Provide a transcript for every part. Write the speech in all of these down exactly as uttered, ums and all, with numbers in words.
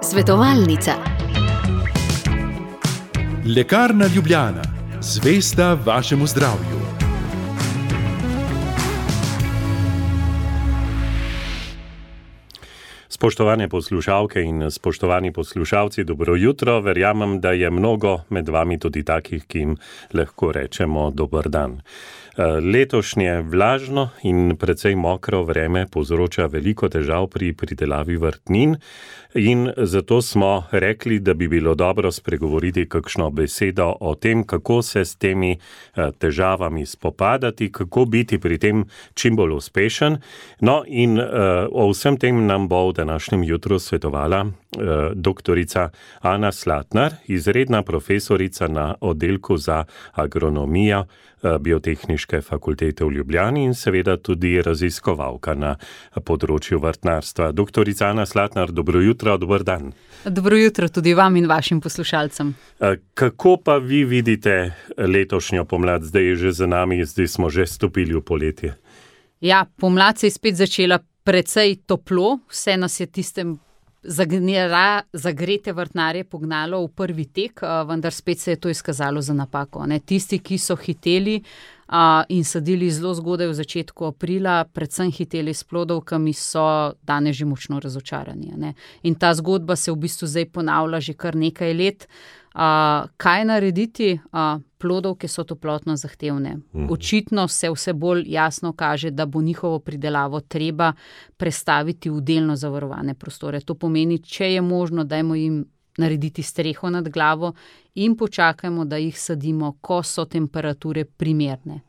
Svetovalnica. Lekarna Ljubljana, zvesta vašemu zdravju. Spoštovane poslušalke in spoštovani poslušalci, dobro jutro. Verjamem, da je mnogo med vami tudi takih, ki jim lahko rečemo dober dan. Letošnje vlažno in precej mokro vreme povzroča veliko težav pri pridelavi vrtnin in zato smo rekli, da bi bilo dobro spregovoriti kakšno besedo o tem, kako se s temi težavami spopadati, kako biti pri tem čim bolj uspešen. No in o vsem tem nam bo v današnjem jutru svetovala doktorica Ana Slatnar, izredna profesorica na oddelku za agronomijo Biotehniške fakultete v Ljubljani in seveda tudi raziskovalka na področju vrtnarstva. Doktorica Ana Slatnar, dobro jutro, dober dan. Dobro jutro tudi vam in vašim poslušalcem. Kako pa vi vidite letošnjo pomlad? Zdaj je že za nami, zdaj smo že stopili v poletje. Ja, pomlad se je spet začela precej toplo, vse nas je tistem Zagnera, zagrete vrtnarje pognalo v prvi tek, vendar spet se je to izkazalo za napako. Ne? Tisti, ki so hiteli a, in sadili zelo zgodaj v začetku aprila, predvsem hiteli s plodovkami, so danes že močno razočarani. Ne? In ta zgodba se v bistvu zdaj ponavlja že kar nekaj let. A, kaj narediti? A, plodovke so toplotno zahtevne. Očitno se vse bolj jasno kaže, da bo njihovo pridelavo treba prestaviti v delno zavarovane prostore. To pomeni, če je možno, dajmo jim narediti streho nad glavo in počakajmo, da jih sadimo, ko so temperature primerne.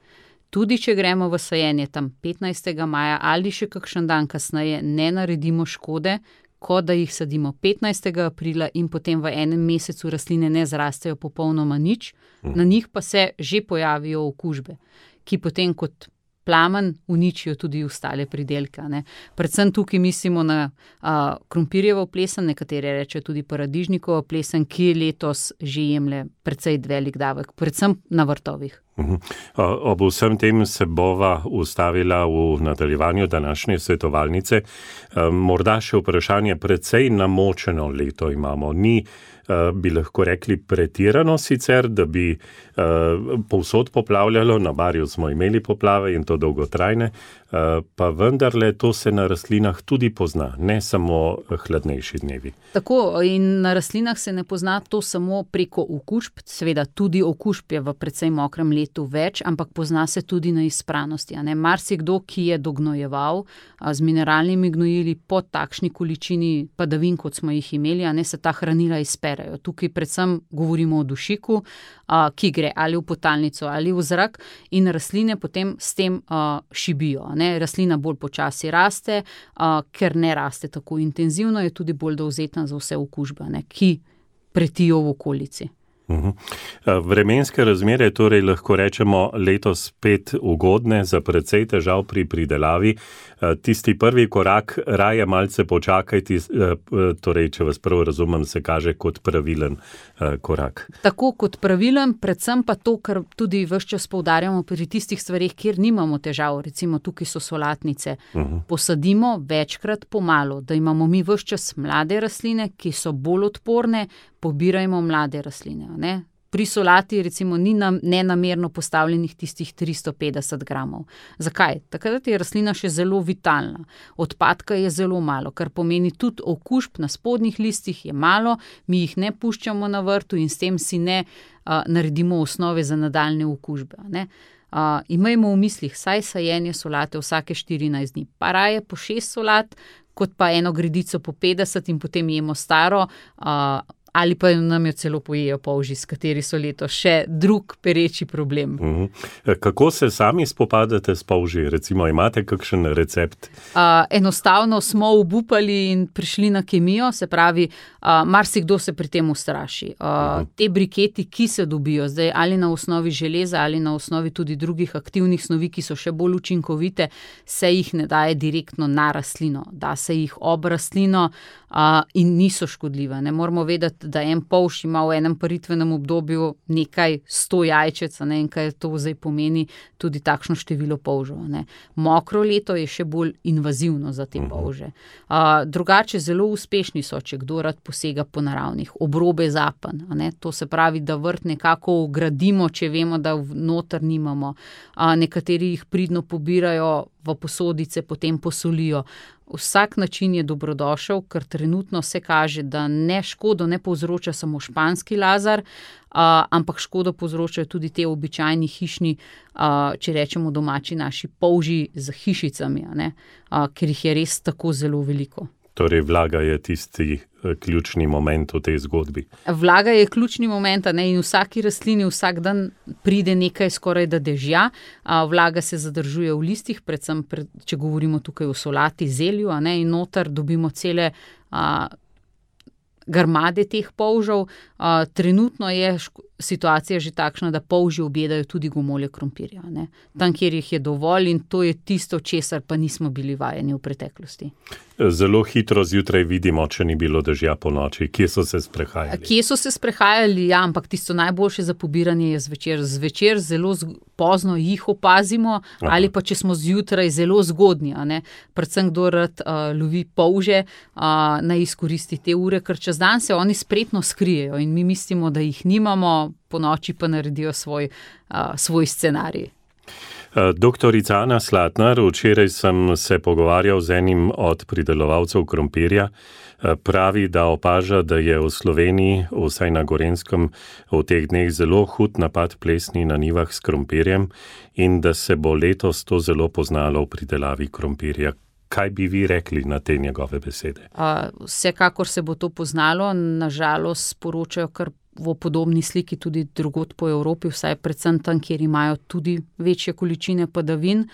Tudi če gremo v sajenje tam petnajstega maja ali še kakšen dan kasneje, ne naredimo škode, kot da jih sadimo petnajstega aprila in potem v enem mesecu rastline ne zrastejo popolnoma nič, na njih pa se že pojavijo okužbe, ki potem kot plamen uničijo tudi ostale pridelke. Ne. Predvsem tukaj mislimo na a, krompirjevo plesen, nekatere rečejo tudi paradižnikovo plesen, ki letos že jemlje precej velik davek, predvsem na vrtovih. Uhum. Ob vsem tem se bova ustavila v nadaljevanju današnje svetovalnice. Morda še vprašanje, precej namočeno leto imamo. Ni, bi lahko rekli, pretirano sicer, da bi povsod poplavljalo, na Barju smo imeli poplave in to dolgotrajne, pa vendarle to se na rastlinah tudi pozna, ne samo hladnejši dnevi. Tako, in na rastlinah se ne pozna to samo preko okužb, seveda tudi okužb je v precej mokrem letu več, ampak pozna se tudi na izpranosti. Marsikdo, ki je dognojeval a, z mineralnimi gnojili po takšni količini padavin, kot smo jih imeli, a ne se ta hranila izperejo. Tukaj predvsem govorimo o dušiku, a, ki gre ali v potalnico ali v zrak in rastline potem s tem a, šibijo. Ne? Rastlina bolj počasi raste, a, ker ne raste tako intenzivno, je tudi bolj dovzetna za vse okužbe, ne? Ki pretijo v okolici. Uhum. Vremenske razmere torej lahko rečemo letos spet ugodne za precej težav pri pridelavi. Tisti prvi korak, raje malce počakajte, torej, če vas prav razumem, se kaže kot pravilen korak. Tako kot pravilen, predvsem pa to, kar tudi ves čas poudarjamo pri tistih stvarih, kjer nimamo težav, recimo tukaj so solatnice. Uhum. Posadimo večkrat pomalo, da imamo mi ves čas mlade rastline, ki so bolj odporne, pobirajmo mlade rastline. Ne? Pri solati recimo ni nam nenamerno postavljenih tistih tristo petdeset gramov. Zakaj? Takrat je rastlina še zelo vitalna. Odpadka je zelo malo, kar pomeni tudi okužb na spodnjih listih je malo, mi jih ne puščamo na vrtu in s tem si ne a, naredimo osnove za nadaljne okužbe. Ne? Uh, imajmo v mislih saj sajenje solate vsake štirinajst dni, pa raje po šest solat, kot pa eno gredico po petdeset in potem jemo staro, uh, ali pa nam jo celo pojejo polži, s kateri so letos še drug pereči problem. Mhm. Kako se sami spopadate s polži? Recimo, imate kakšen recept? Uh, enostavno smo obupali in prišli na kemijo, se pravi, uh, marsikdo se pri tem ustraši. Uh, mhm. Te briketi, ki se dobijo zdaj ali na osnovi železa ali na osnovi tudi drugih aktivnih snovi, ki so še bolj učinkovite, se jih ne daje direktno na rastlino. Da se jih ob rastlino uh, in niso škodljive. Ne moramo vedeti, misliti, da en polž ima v enem paritvenem obdobju nekaj sto jajčec, ne, in kaj to zdaj pomeni tudi takšno število polžev. Ne. Mokro leto je še bolj invazivno za te polže. Uh, drugače zelo uspešni so, če kdo rad posega po naravnih, obrobe zapen, ne, to se pravi, da vrt nekako ugradimo, če vemo, da noter nimamo. Uh, nekateri jih pridno pobirajo v posodice, potem posolijo. Vsak način je dobrodošel, ker trenutno se kaže, da ne škodo ne povzroča samo španski lazar, uh, ampak škodo povzročajo tudi te običajni hišni, uh, če rečemo domači naši polži z hišicami, ne, uh, ker jih je res tako zelo veliko. Torej vlaga je tisti ključni moment v tej zgodbi. Vlaga je ključni moment, ne, in vsaki rastlini vsak dan pride nekaj skoraj da dežja. Vlaga se zadržuje v listih, predvsem pred, če govorimo tukaj o solati, zelju, ne, in noter dobimo cele a, grmade teh polžev. A, trenutno je ško- situacija že takšna, da polži objedajo tudi gomolje krompirja. Ne. Tam, kjer jih je dovolj, in to je tisto, česar pa nismo bili vajeni v preteklosti. Zelo hitro zjutraj vidimo, če ni bilo dežja po noči. Kje so se sprehajali? Kje so se sprehajali, ja, ampak tisto najboljše za pobiranje je zvečer. Zvečer zelo zg- pozno jih opazimo, Aha. ali pa če smo zjutraj zelo zgodnji, a ne. Predvsem kdo rad uh, lovi polže, uh, naj izkoristi te ure, ker čez dan se oni spretno skrijejo in mi mislimo, da jih nimamo, po noči pa naredijo svoj, uh, svoj scenarij. Doktorica Ana Slatnar, včeraj sem se pogovarjal z enim od pridelovalcev krompirja. Pravi, da opaža, da je v Sloveniji, vsaj na Gorenjskem, v teh dneh zelo hud napad plesni na njivah s krompirjem in da se bo letos to zelo poznalo v pridelavi krompirja. Kaj bi vi rekli na te njegove besede? Uh, vsekakor se bo to poznalo, nažalost sporočajo kar v podobni sliki tudi drugod po Evropi, vsaj predvsem tam, kjer imajo tudi večje količine padavin.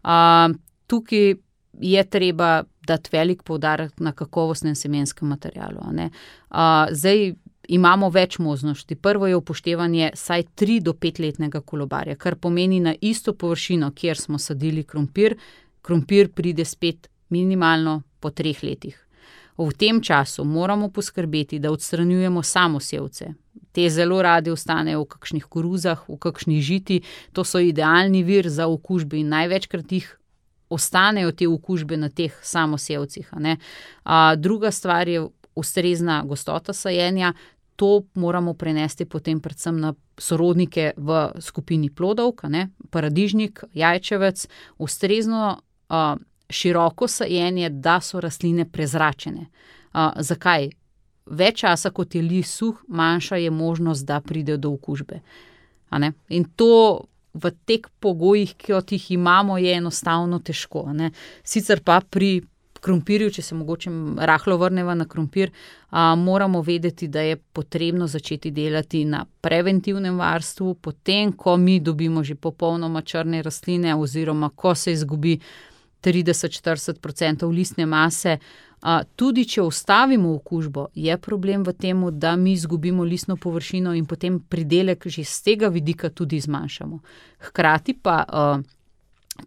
Uh, tukaj je treba dati velik poudarek na kakovostnem semenskem materialu. A ne? Uh, zdaj imamo več možnosti. Prvo je upoštevanje saj tri do pet letnega kolobarja, kar pomeni na isto površino, kjer smo sadili krompir, krompir pride spet minimalno po treh letih. V tem času moramo poskrbeti, da odstranjujemo samosevce. Te zelo radi ostanejo v kakšnih koruzah, v kakšnih žiti. To so idealni vir za okužbe in največkrat jih ostanejo te okužbe na teh samosevcih. A ne? A, druga stvar je ustrezna gostota sajenja. To moramo prenesti potem predvsem na sorodnike v skupini plodov, a ne? Paradižnik, jajčevec, ustrezno a, široko sajenje, da so rastline prezračene. Uh, zakaj? Več časa, kot je list suh, manjša je možnost, da pride do okužbe. A ne? In to v teh pogojih, kot jih imamo, je enostavno težko. A ne? Sicer pa pri krompirju, če se mogoče rahlo vrneva na krompir, a, moramo vedeti, da je potrebno začeti delati na preventivnem varstvu, potem, ko mi dobimo že popolnoma črne rastline oziroma ko se izgubi trideset do štirideset procentov listne mase. A, tudi če ustavimo okužbo, je problem v tem, da mi izgubimo listno površino in potem pridelek že z tega vidika tudi zmanjšamo. Hkrati pa a,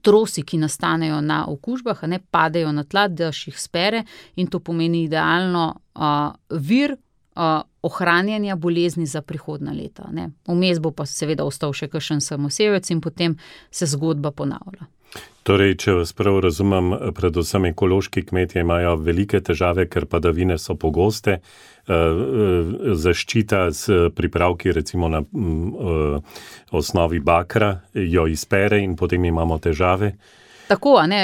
trosi, ki nastanejo na okužbah, a ne padejo na tla, dež jih spere in to pomeni idealno a, vir a, ohranjanja bolezni za prihodnja leta. Ne. Vmes bo pa seveda ostal še kakšen samosevec in potem se zgodba ponavlja. Torej, če vas prav razumem, predvsem ekološki kmetje imajo velike težave, ker padavine so pogoste, zaščita s pripravki recimo na osnovi bakra jo izpere in potem imamo težave. Tako, a ne,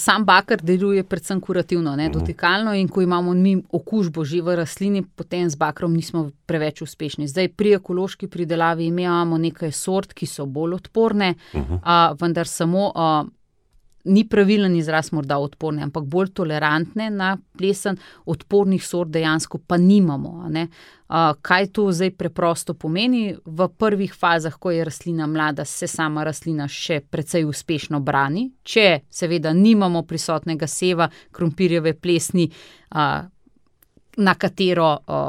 sam bakar deluje predvsem kurativno, ne, dotikalno, in ko imamo mi okužbo že v rastlini, potem z bakrom nismo preveč uspešni. Zdaj pri ekološki pridelavi imamo nekaj sort, ki so bolj odporne, uh-huh. a, vendar samo a, ni pravilen izraz morda odporne, ampak bolj tolerantne na plesen, odpornih sort dejansko pa nimamo. A ne. A, kaj to zdaj preprosto pomeni? V prvih fazah, ko je rastlina mlada, se sama rastlina še precej uspešno brani. Če seveda nimamo prisotnega seva krompirjeve plesni, a, na katero a,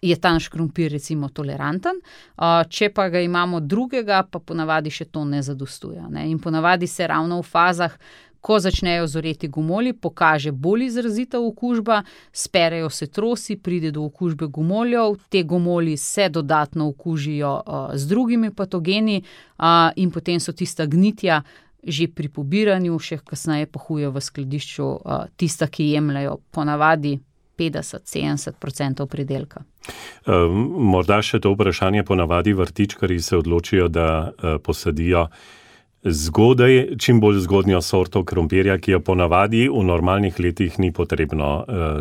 je ta naš krompir recimo toleranten, a, če pa ga imamo drugega, pa ponavadi še to ne zadostuje. Ne? In ponavadi se ravno v fazah, ko začnejo zoreti gomolji, pokaže bolj izrazita okužba, sperejo se trosi, pride do okužbe gomoljev, te gomolji se dodatno okužijo uh, z drugimi patogeni uh, in potem so tista gnitja že pri pobiranju, še kasneje pa huje v skladišču uh, tista, ki jemljajo ponavadi petdeset do sedemdeset odstotkov pridelka. Um, morda še to vprašanje, ponavadi vrtičkarji se odločijo, da uh, posadijo zgodaj, čim bolj zgodnjo sorto krompirja, ki jo ponavadi v normalnih letih ni potrebno uh,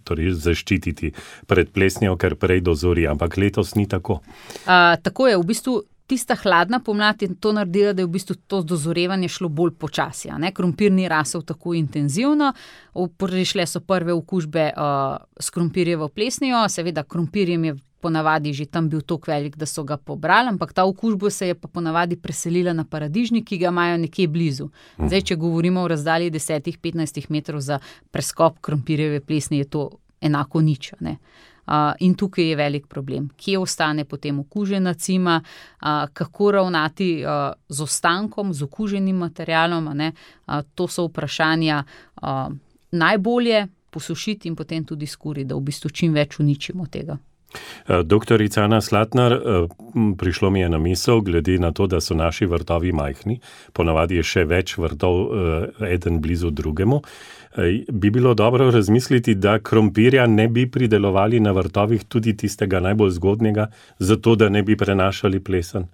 torej zaščititi pred plesnjo, ker prej dozori, ampak letos ni tako. Uh, tako je, v bistvu tista hladna pomlad je to naredila, da je v bistvu to dozorevanje šlo bolj počasi. Krompir ni rasel tako intenzivno, prišle so prve okužbe uh, s krompirjevo plesnijo, seveda krompirjem je ponavadi že tam bil toliko velik, da so ga pobrali, ampak ta okužba se je pa ponavadi preselila na paradižnik, ki ga imajo nekje blizu. Zdaj, če govorimo o razdalji deset do petnajst metrov za preskop krompirjeve plesni, je to enako nič, ne. Uh, in tukaj je velik problem. Kje ostane potem okužena cima, uh, kako ravnati uh, z ostankom, z okuženim materialom, ne? Uh, to so vprašanja uh, najbolje posušiti in potem tudi skuriti, da v bistvu čim več uničimo tega. Doktorica Ana Slatnar, prišlo mi je na misel, glede na to, da so naši vrtovi majhni, ponavadi je še več vrtov eden blizu drugemu, bi bilo dobro razmisliti, da krompirja ne bi pridelovali na vrtovih tudi tistega najbolj zgodnjega, zato da ne bi prenašali plesen.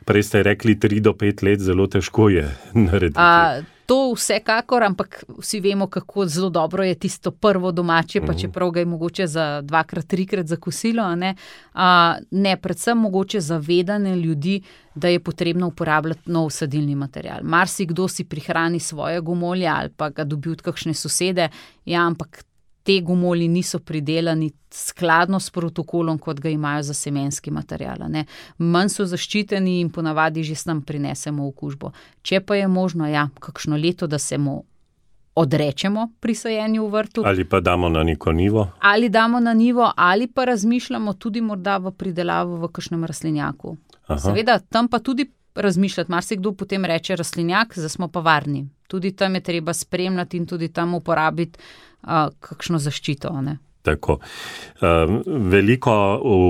Prej ste rekli tri do pet let, zelo težko je narediti. A, to vsekakor, ampak vsi vemo, kako zelo dobro je tisto prvo domače, pa čeprav ga je mogoče za dvakrat, trikrat za kosilo, ne, a, ne predvsem mogoče zavedanje ljudi, da je potrebno uporabljati nov sadilni material. Marsikdo si prihrani svoje gomolje ali pa ga dobi od kakšne sosede, ja, ampak te gomolji niso pridelani skladno s protokolom, kot ga imajo za semenski material. Ne. Manj so zaščiteni in ponavadi že s nam prinesemo okužbo. Če pa je možno, ja, kakšno leto, da se mu odrečemo pri sajenju v vrtu. Ali pa damo na neko nivo. Ali damo na nivo, ali pa razmišljamo tudi morda v pridelavo v kakšnem rastlinjaku. Aha. Seveda, tam pa tudi razmišljati. Marsikdo potem reče rastlinjak, zdaj smo pa varni. Tudi tam je treba spremljati in tudi tam uporabiti uh, kakšno zaščito, ne. Tako. Uh, veliko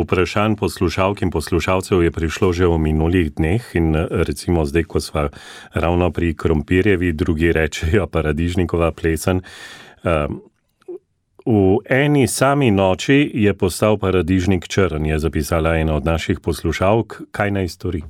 vprašanj poslušalk in poslušalcev je prišlo že v minulih dneh in recimo zdaj, ko sva ravno pri krompirjevi, drugi rečejo paradižnikova plesen. Uh, v eni sami noči je postal paradižnik črn, je zapisala ena od naših poslušalk. Kaj naj stori?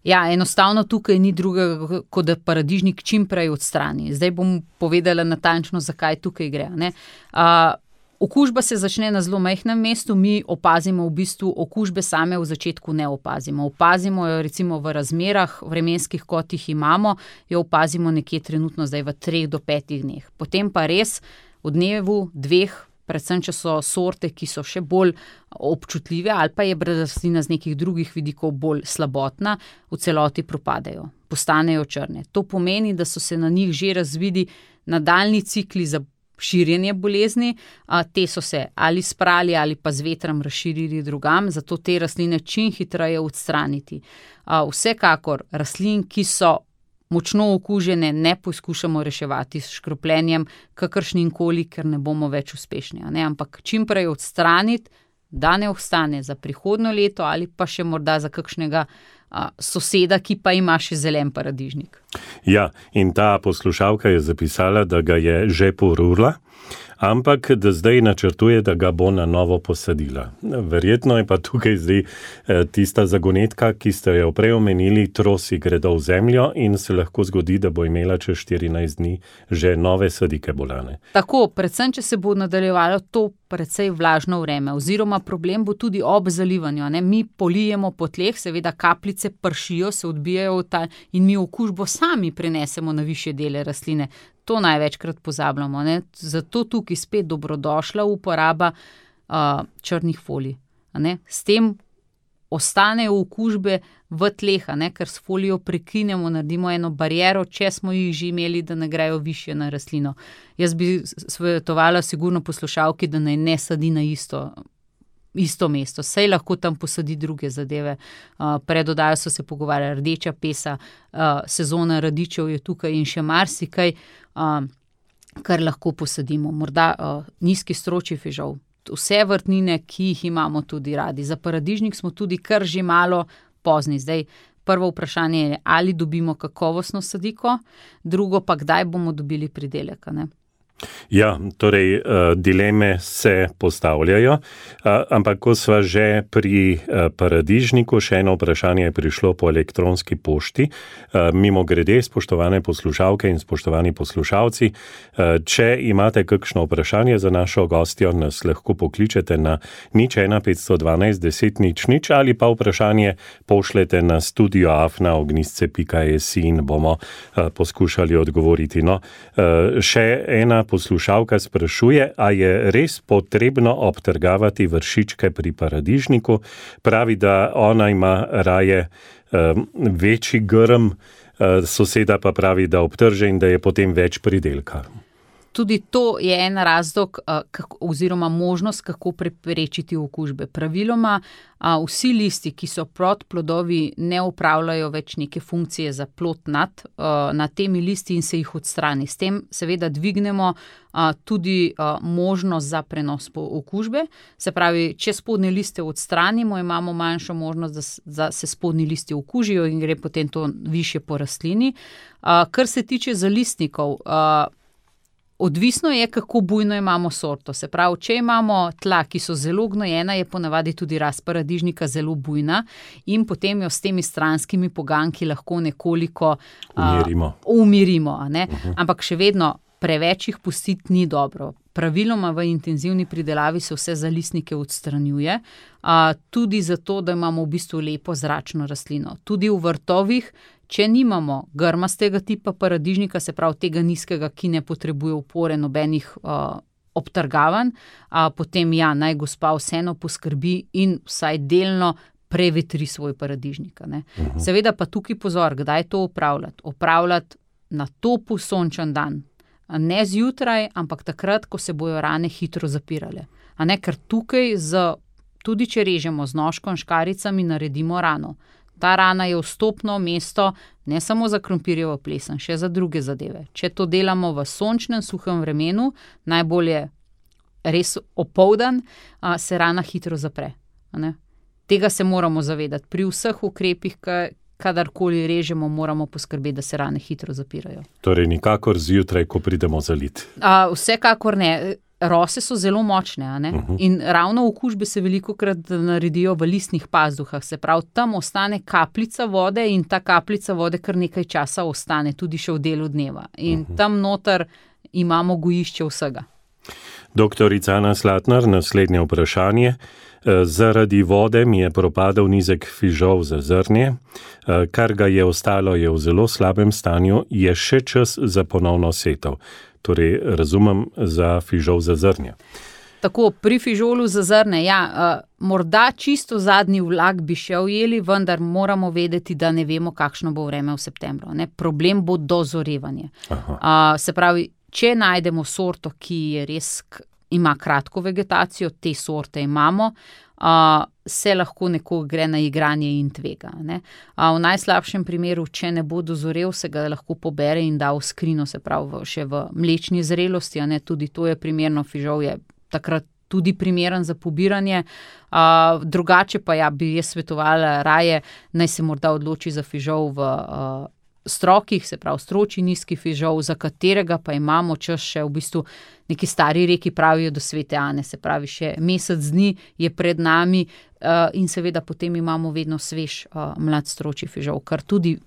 Ja, enostavno tukaj ni drugega, kot da paradižnik čim prej odstrani. Zdaj bom povedala natančno, zakaj tukaj gre, ne. Uh, Okužba se začne na zelo majhnem mestu, mi opazimo v bistvu okužbe same v začetku ne opazimo. Opazimo jo recimo v razmerah, vremenskih, kot jih imamo, jo opazimo nekje trenutno zdaj v treh do petih dneh. Potem pa res v dnevu, dveh, predvsem če so sorte, ki so še bolj občutljive ali pa je rastlina z nekih drugih vidikov bolj slabotna, v celoti propadejo, postanejo črne. To pomeni, da so se na njih že razvili nadaljnji cikli za širjenje bolezni, a, te so se ali sprali ali pa z vetrom razširili drugam, zato te rastline čim hitreje odstraniti. A, vsekakor rastlin, ki so močno okužene, ne poskušamo reševati s škropljenjem kakršnim koli, ker ne bomo več uspešni, ne? Ampak čim prej odstraniti, da ne ostane za prihodnjo leto ali pa še morda za kakšnega a, soseda, ki pa ima še zelen paradižnik. Ja, in ta poslušalka je zapisala, da ga je že porurla, ampak da zdaj načrtuje, da ga bo na novo posadila. Verjetno je pa tukaj zdaj tista zagonetka, ki ste jo prej omenili, trosi gredo v zemljo in se lahko zgodi, da bo imela čez štirinajst dni že nove sadike bolane. Tako, predvsem, če se bo nadaljevalo to precej vlažno vreme, oziroma problem bo tudi ob zalivanju, ne? Mi polijemo po tleh, seveda kapljice pršijo, se odbijajo v ta in mi okužbo sami prenesemo na višje dele rastline. To največkrat pozabljamo, ne? Zato tukaj spet dobrodošla uporaba uh, črnih folij, ne? S tem ostanejo okužbe v tleh, ne? Ker s folijo prekinemo, naredimo eno bariero, če smo jih že imeli, da ne grejo višje na rastlino. Jaz bi svetovala sigurno poslušalki, da naj ne sadi na isto isto mesto, saj lahko tam posadi druge zadeve. Uh, pred oddajo so se pogovarjali rdeča pesa, uh, sezona radičev je tukaj in še marsikaj, uh, kar lahko posadimo. Morda uh, nizki stročji fižol, vse vrtnine, ki jih imamo tudi radi. Za paradižnik smo tudi kar že malo pozni. Zdaj, prvo vprašanje je, ali dobimo kakovostno sadiko, drugo pa, kdaj bomo dobili pridelek, ne? Ja, torej dileme se postavljajo, ampak ko sva že pri paradižniku, še eno vprašanje je prišlo po elektronski pošti. Mimo grede, spoštovane poslušalke in spoštovani poslušalci, če imate kakšno vprašanje za našo gostjo, nas lahko pokličete na nič ena petsto dvanajst deset nič nič ali pa vprašanje pošljete na studio afna ognjisce pika es in bomo poskušali odgovoriti. No, še ena poslušalka sprašuje, a je res potrebno obtrgavati vršičke pri paradižniku. Pravi, da ona ima raje um, večji grm, uh, soseda pa pravi, da obtrže in da je potem več pridelka. Tudi to je en razlog kako, oziroma možnost, kako preprečiti okužbe. Praviloma a, vsi listi, ki so pod plodovi, ne opravljajo več neke funkcije za plod nad, a, nad temi listi in se jih odstrani. S tem seveda dvignemo a, tudi a, možnost za prenos okužbe. Se pravi, če spodnje liste odstranimo, imamo manjšo možnost, da, da se spodnji listi okužijo in gre potem to višje po rastlini. A, kar se tiče zalistnikov, a, odvisno je, kako bujno imamo sorto. Se pravi, če imamo tla, ki so zelo gnojena, je ponavadi tudi rast paradižnika zelo bujna in potem jo s temi stranskimi poganki lahko nekoliko umirimo. Uh, umirimo a ne? Uh-huh. Ampak še vedno preveč jih pustiti ni dobro. Praviloma v intenzivni pridelavi se vse zalistnike odstranjuje, uh, tudi zato, da imamo v bistvu lepo zračno rastlino. Tudi v vrtovih, če nimamo grmastega tipa paradižnika, se pravi tega nizkega, ki ne potrebuje opore nobenih uh, obtrgavanj, uh, potem ja, naj gospa vseeno poskrbi in vsaj delno prevetri svoj paradižnik. Ne? Uh-huh. Seveda pa tukaj pozor, kdaj to opravljati. Opravljati na topu sončen dan. Ne zjutraj, ampak takrat, ko se bojo rane hitro zapirale. A ne, ker tukaj, z, tudi če režemo z nožkom, škaricami, naredimo rano. Ta rana je vstopno mesto ne samo za krompirjevo plesen, še za druge zadeve. Če to delamo v sončnem, suhem vremenu, najbolje res opoldan, se rana hitro zapre. Ne? Tega se moramo zavedati. Pri vseh ukrepih, kadarkoli režemo, moramo poskrbeti, da se rane hitro zapirajo. Torej nikakor zjutraj, ko pridemo zalit. A, vsekakor ne. Rose so zelo močne, a ne? Uh-huh. In ravno okužbe se velikokrat naredijo v listnih pazduhah. Se pravi, tam ostane kapljica vode in ta kapljica vode kar nekaj časa ostane, tudi še v delu dneva. In uh-huh. tam noter imamo gojišče vsega. Doktorica Ana Slatnar, naslednje vprašanje. Zaradi vode mi je propadel nizek fižol za zrnje, kar ga je ostalo je v zelo slabem stanju, je še čas za ponovno setev. Torej, razumem, za fižol za zrnje. Tako, pri fižolu za zrne, ja, morda čisto zadnji vlak bi še ujeli, vendar moramo vedeti, da ne vemo, kakšno bo vreme v septembru. Ne? Problem bo dozorevanje. A, se pravi, če najdemo sorto, ki je res ima kratko vegetacijo, te sorte imamo, a, se lahko nekoga gre na igranje in tvega. Ne? A, v najslabšem primeru, če ne bo dozorev, se ga lahko pobere in da v skrino, se pravi še v mlečni zrelosti, a ne, tudi to je primerno, fižol je takrat tudi primeren za pobiranje. A, drugače pa ja, bi jaz svetovala raje, naj se morda odloči za fižol v a, strokih, se pravi stročji nizki fižol, za katerega pa imamo čas še v bistvu neki stari reki pravijo do svete Ane, se pravi še mesec dni je pred nami uh, in seveda potem imamo vedno svež uh, mlad stročji fižol, kar tudi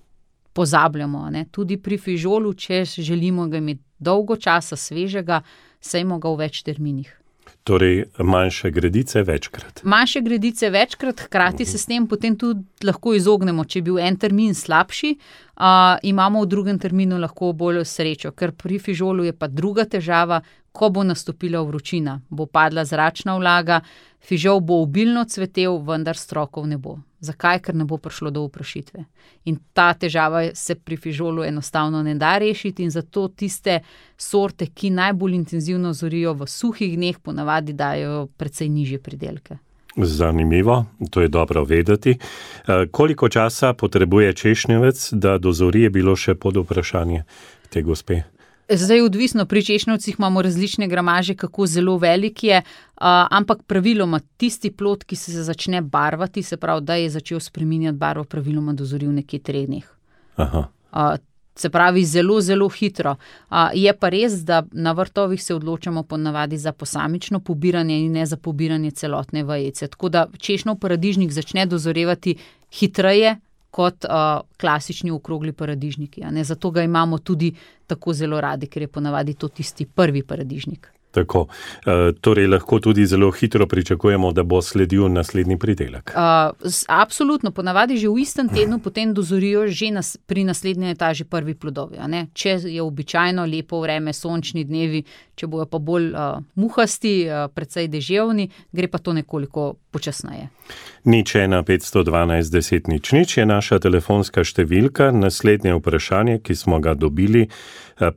pozabljamo. Ne? Tudi pri fižolu, če želimo ga imeti dolgo časa svežega, sejmo ga v več terminih. Torej, manjše gredice večkrat. Manjše gredice večkrat, hkrati uh-huh. se s tem potem tudi lahko izognemo. Če je bil en termin slabši, uh, imamo v drugem terminu lahko bolj srečo, ker pri fižolu je pa druga težava, ko bo nastopila vročina, bo padla zračna vlaga, fižol bo obilno cvetel, vendar strokov ne bo. Zakaj? Ker ne bo prišlo do oprašitve. In ta težava se pri fižolu enostavno ne da rešiti in zato tiste sorte, ki najbolj intenzivno zorijo v suhih dneh, ponavadi dajo precej nižje pridelke. Zanimivo, to je dobro vedeti. Koliko časa potrebuje češnjevec, da dozori, je bilo še pod vprašanje te gospe? Zdaj odvisno, pri češnjevcih imamo različne gramaže, kako zelo velik je, ampak praviloma tisti plod, ki se začne barvati, se pravi, da je začel spreminjati barvo, praviloma dozori v nekaj treh dneh. Aha. Se pravi, zelo, zelo hitro. Je pa res, da na vrtovih se odločamo ponavadi za posamično pobiranje in ne za pobiranje celotne vejice. Tako da češnjev paradižnik začne dozorevati hitreje kot uh, klasični okrogli paradižniki. A ne? Zato ga imamo tudi tako zelo radi, ker je ponavadi to tisti prvi paradižnik. Tako, e, torej lahko tudi zelo hitro pričakujemo, da bo sledil naslednji pridelek. Uh, absolutno, ponavadi že v istem tednu potem dozorijo že nas, pri naslednji etaži prvi plodovi. A ne? Če je običajno lepo vreme, sončni dnevi, če bojo pa bolj uh, muhasti, uh, precej deževni, gre pa to nekoliko počasneje. Nič ena petsto dvanajst deset nič nič je naša telefonska številka. Naslednje vprašanje, ki smo ga dobili,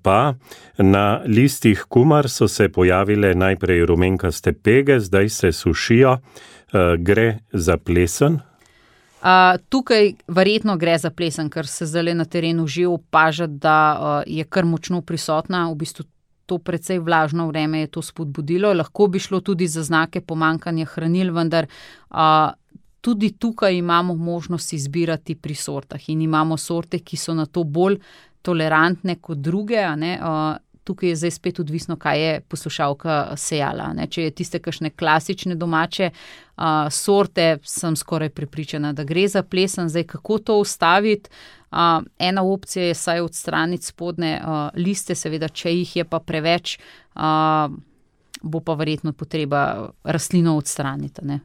pa na listih kumar so se pojavile najprej rumenkaste pege, zdaj se sušijo. Gre za plesen? Uh, tukaj verjetno gre za plesen, ker se zdaj na terenu že opaža, da uh, je kar močno prisotna, v bistvu to precej vlažno vreme je to spodbudilo. Lahko bi šlo tudi za znake pomanjkanja hranil, vendar uh, tudi tukaj imamo možnost izbirati pri sortah in imamo sorte, ki so na to bolj tolerantne kot druge, a ne, uh, tukaj je zdaj spet odvisno, kaj je poslušalka sejala. Ne. Če je tiste kakšne klasične domače uh, sorte, sem skoraj prepričana, da gre za plesen. Zdaj, kako to ustaviti? Uh, ena opcija je saj odstraniti spodne uh, liste, seveda, če jih je pa preveč, uh, bo pa verjetno potreba rastlino odstraniti, ne.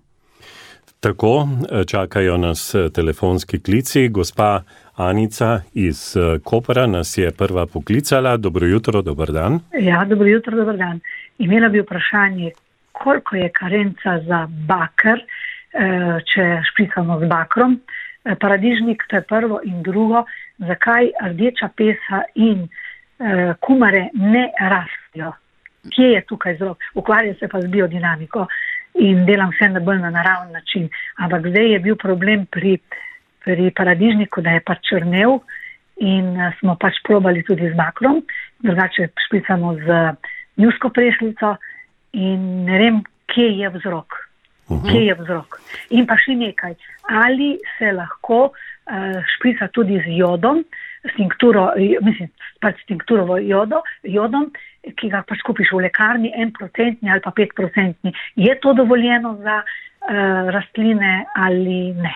Tako, čakajo nas telefonski klici. Gospa Anica iz Kopra nas je prva poklicala. Dobro jutro, dober dan. Ja, dobro jutro, dober dan. Imela bi vprašanje, koliko je karenca za bakr, če špricamo z bakrom. Paradižnik, to je prvo, in drugo, zakaj rdeča pesa in kumare ne rastijo. Kje je tukaj vzrok? Ukvarjam se pa z biodinamiko in delam vse na bolj na naraven način. Ampak zdaj je bil problem pri, pri paradižniku, da je pač črnel in smo pač probali tudi z bakrom, drugače špricamo z njusko prešlico in ne vem, kje je vzrok. Uh-huh. Kje je vzrok. In pa še nekaj, ali se lahko uh, šprica tudi z jodom, s tinkturo, mislim, pač s tinkturovo jodo, jodom, ki ga pač kupiš v lekarni, en procentni ali pa pet procentni. Je to dovoljeno za uh, rastline ali ne?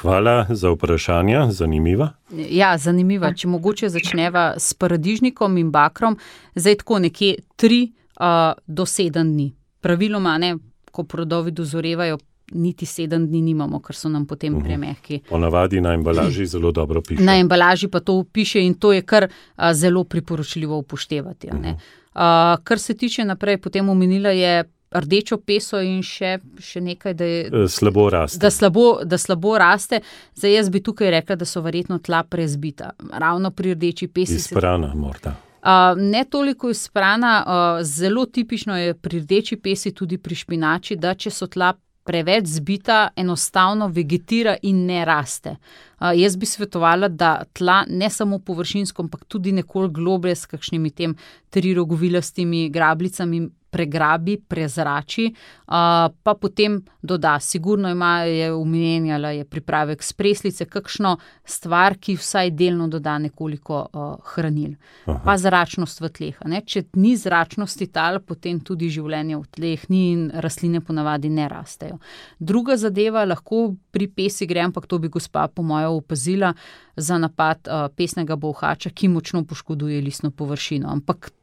Hvala za vprašanja, zanimiva. Ja, zanimiva. Če mogoče začneva s paradižnikom in bakrom, zdaj tako nekje tri uh, do sedem dni. Praviloma, ne, ko plodovi dozorevajo, niti sedem dni nimamo, ker so nam potem uh-huh. premehki. Ponavadi na embalaži zelo dobro piše. Na embalaži pa to piše in to je kar a, zelo priporočljivo upoštevati. Uh-huh. A, kar se tiče naprej, potem omenila je rdečo peso in še, še nekaj, da je slabo raste. Da slabo, da slabo raste. Zdaj jaz bi tukaj rekla, da so verjetno tla prezbita. Ravno pri rdeči pesi. Izprana morda. Uh, ne toliko izprana, uh, zelo tipično je pri rdeči pesi, tudi pri špinači, da če so tla preveč zbita, enostavno vegetira in ne raste. Uh, jaz bi svetovala, da tla ne samo površinsko, ampak tudi nekoliko globlje s kakšnimi tem trirogovilastimi grabljicami pregrabi, prezrači, uh, pa potem doda. Sigurno ima, je omenjala, je pripravek s preslice, kakšno stvar, ki vsaj delno doda nekoliko uh, hranil. Aha. Pa zračnost v tleh. Ne? Če ni zračnosti tal, potem tudi življenje v tleh ni in rastline ponavadi ne rastejo. Druga zadeva lahko pri pesi gre, ampak to bi gospa po mojo opazila, za napad uh, pesnega bolhača, ki močno poškoduje listno površino. Ampak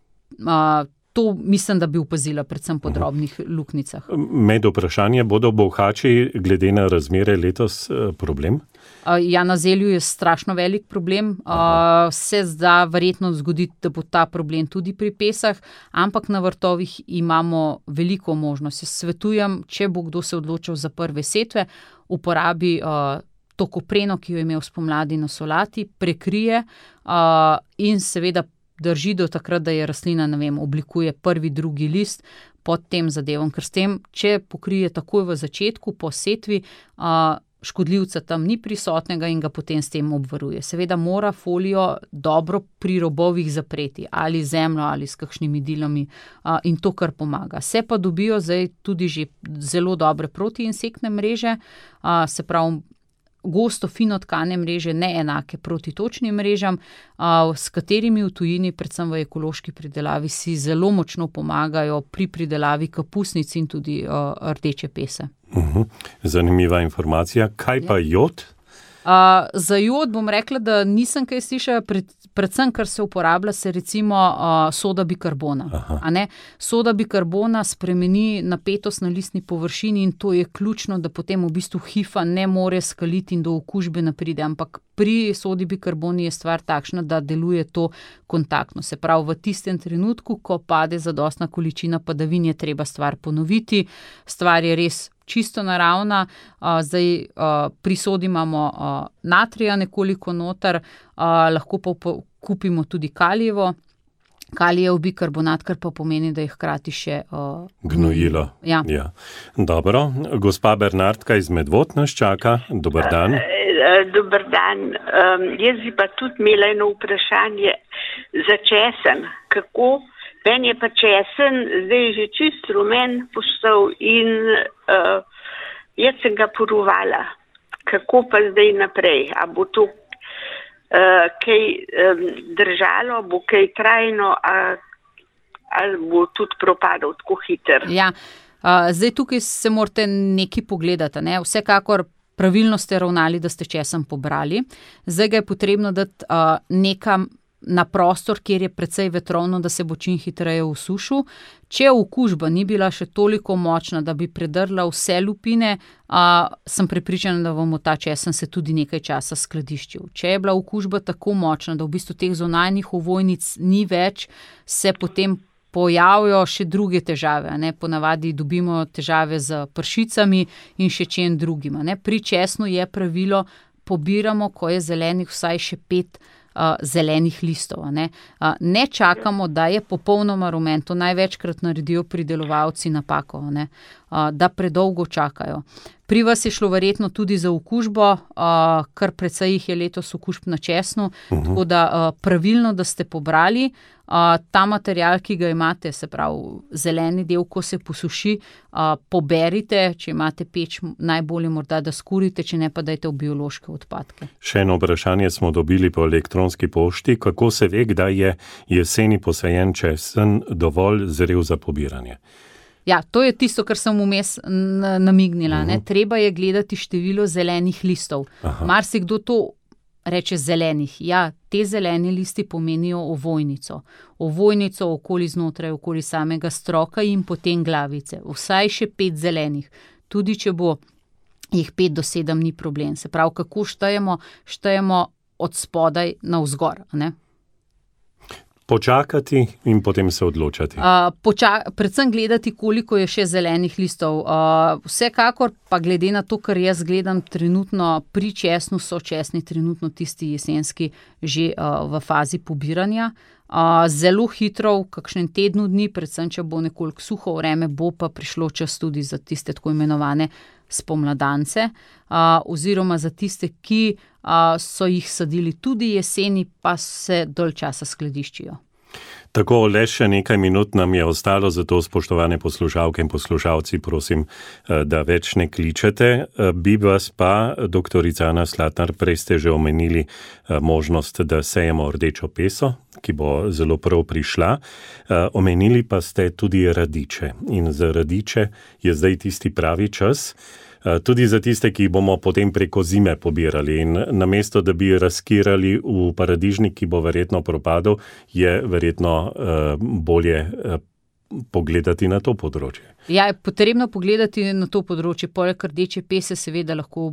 uh, to mislim, da bi opazila predvsem po drobnih luknjicah. Med vprašanje, bodo bolhači glede na razmere letos problem? Ja, na zelju je strašno velik problem. Aha. Se zda verjetno zgoditi, da bo ta problem tudi pri pesah, ampak na vrtovih imamo veliko možnosti. Svetujem, če bo kdo se odločil za prve setve, uporabi uh, to kopreno, ki jo je imel spomladi na solati, prekrije uh, in seveda drži do takrat, da je rastlina, ne vem, oblikuje prvi, drugi list pod tem zadevom, ker s tem, če pokrije takoj v začetku, po setvi, uh, škodljivca tam ni prisotnega in ga potem s tem obvaruje. Seveda mora folijo dobro pri robovih zapreti, ali zemljo, ali s kakšnimi dilami uh, in to, kar pomaga. Se pa dobijo zdaj tudi že zelo dobre protiinsektne mreže, uh, se pravi, gosto, fino tkane mreže, ne enake protitočnim mrežam, uh, s katerimi v tujini, predvsem v ekološki pridelavi, si zelo močno pomagajo pri pridelavi kapusnic in tudi uh, rdeče pese. Uhum. Zanimiva informacija. Kaj pa jod? Uh, za jod bom rekla, da nisem kaj slišala, pred, predvsem, kar se uporablja, se recimo uh, soda bikarbona. A ne? Soda bikarbona spremeni napetost na listni površini in to je ključno, da potem v bistvu hifa ne more skaliti in do okužbe ne pride, ampak pri sodi bikarboni je stvar takšna, da deluje to kontaktno. Se pravi, v tistem trenutku, ko pade zadostna količina padavin, je treba stvar ponoviti. Stvar je res čisto naravna, uh, zdaj uh, pri sodi imamo uh, natrija nekoliko noter, uh, lahko pa po, kupimo tudi kalijevo, kalijev bikarbonat, kar pa pomeni, da je hkrati še uh, gnojilo. Ja. Ja. Dobro, gospa Bernardka iz Medvod nas čaka. Dober dan. Dober dan. Um, jaz bi pa tudi imela eno vprašanje za česen. Kako? Meni je pa česen zdaj že čist rumen postal in uh, jaz sem ga porovala. Kako pa zdaj naprej? A bo to uh, kaj um, držalo, bo kaj trajno, a, ali bo tudi propadal tako hiter? Ja, uh, zdaj tukaj se morate nekaj pogledati, ne? Vsekakor pravilno ste ravnali, da ste česen pobrali. Zdaj ga je potrebno dati uh, nekam na prostor, kjer je precej vetrovno, da se bo čim hitreje usušil. Če okužba ni bila še toliko močna, da bi predrla vse lupine, a, sem prepričana, da bomo ta česen se tudi nekaj časa skladiščil. Če je bila okužba tako močna, da v bistvu teh zunanjih ovojnic ni več, se potem pojavijo še druge težave. Ne? Ponavadi dobimo težave z pršicami in še čem drugim. Ne? Pri česnu je pravilo, pobiramo, ko je zelenih vsaj še pet Uh, zelenih listov. Ne? Uh, ne čakamo, da je popolnoma rumen, to največkrat naredijo pridelovalci napako, ne? Uh, da predolgo čakajo. Pri vas je šlo verjetno tudi za okužbo, uh, kar precej jih je letos okužb na česnu, uh-huh. Tako da uh, pravilno, da ste pobrali uh, ta material, ki ga imate, se pravi zeleni del, ko se posuši, uh, poberite, če imate peč, najbolje morda, da skurite, če ne pa dajte v biološke odpadke. Še eno vprašanje smo dobili po elektronski pošti. Kako se ve, kdaj je jeseni posajen česen dovolj zrel za pobiranje? Ja, to je tisto, kar sem vmes namignila. Uh-huh. Ne? Treba je gledati število zelenih listov. Marsikdo to reče zelenih. Ja, te zeleni listi pomenijo ovojnico. Ovojnico okoli znotraj, okoli samega stroka in potem glavice. Vsaj še pet zelenih. Tudi če bo jih pet do sedem, ni problem. Se pravi, kako štejemo? Štejemo od spodaj navzgor, ne? Počakati in potem se odločati. Uh, poča- predvsem gledati, koliko je še zelenih listov. Uh, vsekakor pa glede na to, kar jaz gledam trenutno pri česnu, so česni trenutno tisti jesenski že uh, v fazi pobiranja. Uh, zelo hitro, v kakšnem tednu dni, predvsem če bo nekoliko suho vreme, bo pa prišlo čas tudi za tiste tako imenovane spomladance, uh, oziroma za tiste, ki uh, so jih sadili tudi jeseni, pa se dolj časa skladiščijo. Tako, le še nekaj minut nam je ostalo, zato spoštovane poslušalke in poslušalci, prosim, da več ne kličete. Bi vas pa, doktorica Ana Slatnar, prej ste že omenili možnost, da sejemo rdečo peso, ki bo zelo prav prišla. Omenili pa ste tudi radiče in za radiče je zdaj tisti pravi čas, tudi za tiste, ki bomo potem preko zime pobirali. In namesto, da bi razkirali v paradižnik, ki bo verjetno propadel, je verjetno uh, bolje uh, pogledati na to področje. Ja, je potrebno pogledati na to področje. Poleg rdeče pese seveda lahko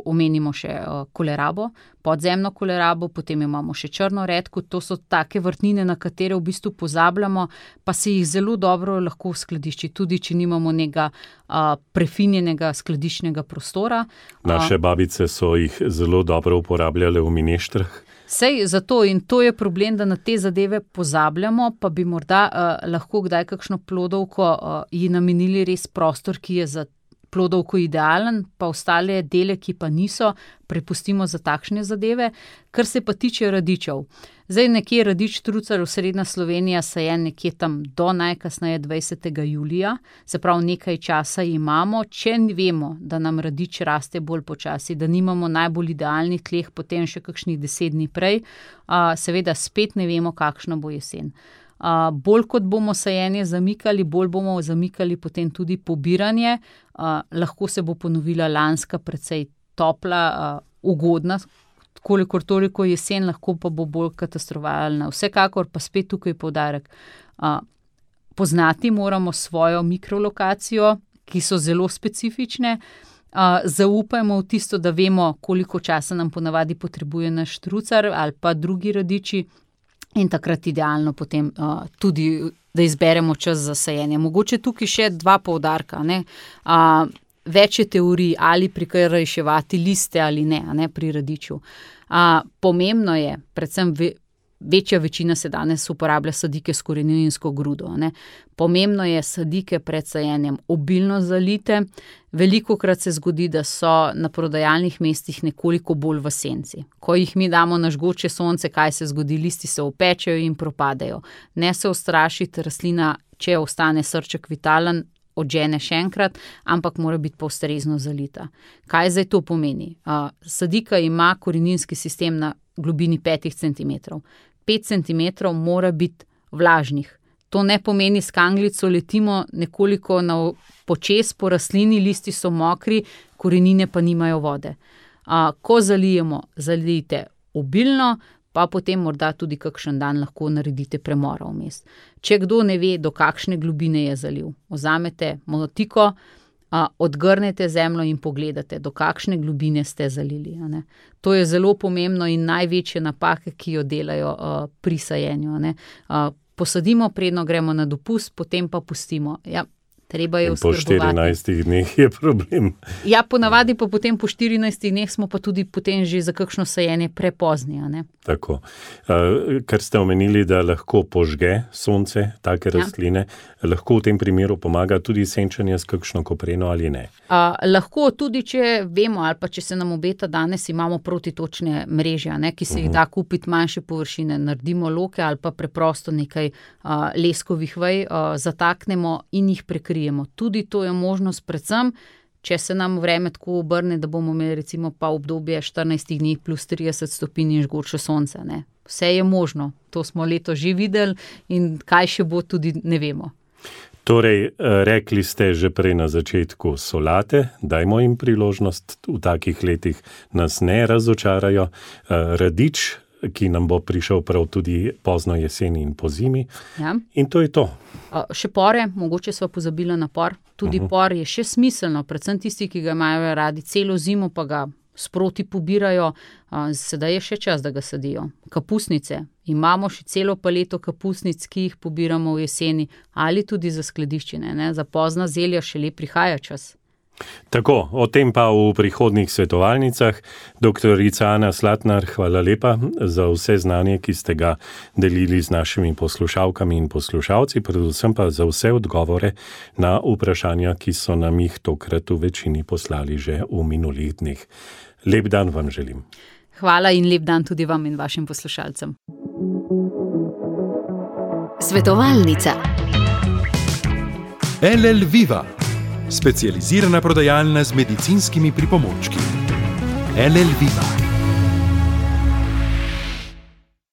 omenimo še kolerabo, podzemno kolerabo, potem imamo še črno redko. To so take vrtnine, na katere v bistvu pozabljamo, pa se jih zelo dobro lahko skladišči, tudi če nimamo nekega a, prefinjenega skladiščnega prostora. Naše babice so jih zelo dobro uporabljale v mineštrah. Sej zato in to je problem, da na te zadeve pozabljamo, pa bi morda uh, lahko kdaj kakšno plodovko uh, ji namenili res prostor, ki je za plodovko idealen, pa ostale dele, ki pa niso, prepustimo za takšne zadeve. Kar se pa tiče radičev. Zdaj nekje radič trucar v srednja Slovenija sajen nekje tam do najkasneje dvajsetega julija, se pravi nekaj časa imamo, če vemo, da nam radič raste bolj počasi, da nimamo najbolj idealnih tleh, potem še kakšnih deset dni prej, a, seveda spet ne vemo, kakšna bo jesen. A, bolj kot bomo sajenje zamikali, bolj bomo zamikali potem tudi pobiranje, a, lahko se bo ponovila lanska precej topla, a, ugodna, kolikor toliko jesen, lahko pa bo bolj katastrofalna. Vsekakor pa spet tukaj poudarek. A, poznati moramo svojo mikrolokacijo, ki so zelo specifične. A, zaupajmo v tisto, da vemo, koliko časa nam ponavadi potrebuje naš trucar ali pa drugi radiči in takrat idealno potem a, tudi, da izberemo čas za sajenje. Mogoče tukaj še dva poudarka, ne. A, Več je teorij, ali prikrajševati liste ali ne, a ne pri radiču. A, pomembno je, predvsem ve, večja večina se danes uporablja sadike s koreninsko grudo. Ne. Pomembno je sadike pred sajenjem obilno zalite. Velikokrat se zgodi, da so na prodajalnih mestih nekoliko bolj v senci. Ko jih mi damo na žgoče sonce, kaj se zgodi, listi se opečejo in propadajo. Ne se ustrašiti, rastlina, če ostane srček vitalen, odžene še enkrat, ampak mora biti pa ustrezno zalita. Kaj zdaj to pomeni? Uh, sadika ima koreninski sistem na globini petih centimetrov. Pet centimetrov mora biti vlažnih. To ne pomeni, s kanglico letimo nekoliko na počez po rastlini, listi so mokri, korenine pa nimajo vode. Uh, ko zalijemo, zalijte obilno, pa potem morda tudi kakšen dan lahko naredite premora vmes. Če kdo ne ve, do kakšne globine je zaliv, vzamete motiko, a, odgrnete zemljo in pogledate, do kakšne globine ste zalili. A ne. To je zelo pomembno in največje napake, ki jo delajo a, pri sajenju. A ne. A, posadimo, predno gremo na dopust, potem pa pustimo. Ja, treba je oskrbovati. Po štirinajstih dneh je problem. Ja, ponavadi pa potem po štirinajstih dneh smo pa tudi potem že za kakšno sajenje prepozni. A ne. Tako. Uh, ker ste omenili, da lahko požge sonce, take rastline, ja. Lahko v tem primeru pomaga tudi senčenje s kakšno kopreno ali ne? Uh, lahko tudi, če vemo ali pa če se nam obeta danes, imamo protitočne mreže, ne, ki se uh-huh. jih da kupiti manjše površine, naredimo loke ali pa preprosto nekaj uh, leskovih vej, uh, zataknemo in jih prekrijemo. Tudi to je možnost, predvsem, če se nam vreme tako obrne, da bomo imeli recimo pa obdobje štirinajst dni plus trideset stopinj in žgoče sonce. Ne. Vse je možno, to smo leto že videli in kaj še bo, tudi ne vemo. Torej, rekli ste že prej na začetku solate, dajmo jim priložnost, v takih letih nas ne razočarajo. Radič, ki nam bo prišel prav tudi pozno jeseni in po zimi. Ja. In to je to. Še pore, mogoče sva pozabila na por. Tudi uh-huh. por je še smiselno, predvsem tisti, ki ga imajo radi celo zimo, pa ga sproti pobirajo. Sedaj je še čas, da ga sadijo. Kapusnice. Imamo še celo paleto kapusnic, ki jih pobiramo v jeseni, ali tudi za skladiščine. Ne? Za pozna zelja šele prihaja čas. Tako, o tem pa v prihodnjih svetovalnicah. Doktorica Ana Slatnar, hvala lepa za vse znanje, ki ste ga delili z našimi poslušalkami in poslušalci, predvsem pa za vse odgovore na vprašanja, ki so nam jih tokrat v večini poslali že v minulih dneh. Lep dan vam želim. Hvala in lep dan tudi vam in vašim poslušalcem. Svetovalnica. L L Viva. Specializirana prodajalna z medicinskimi pripomočki. L L Viva.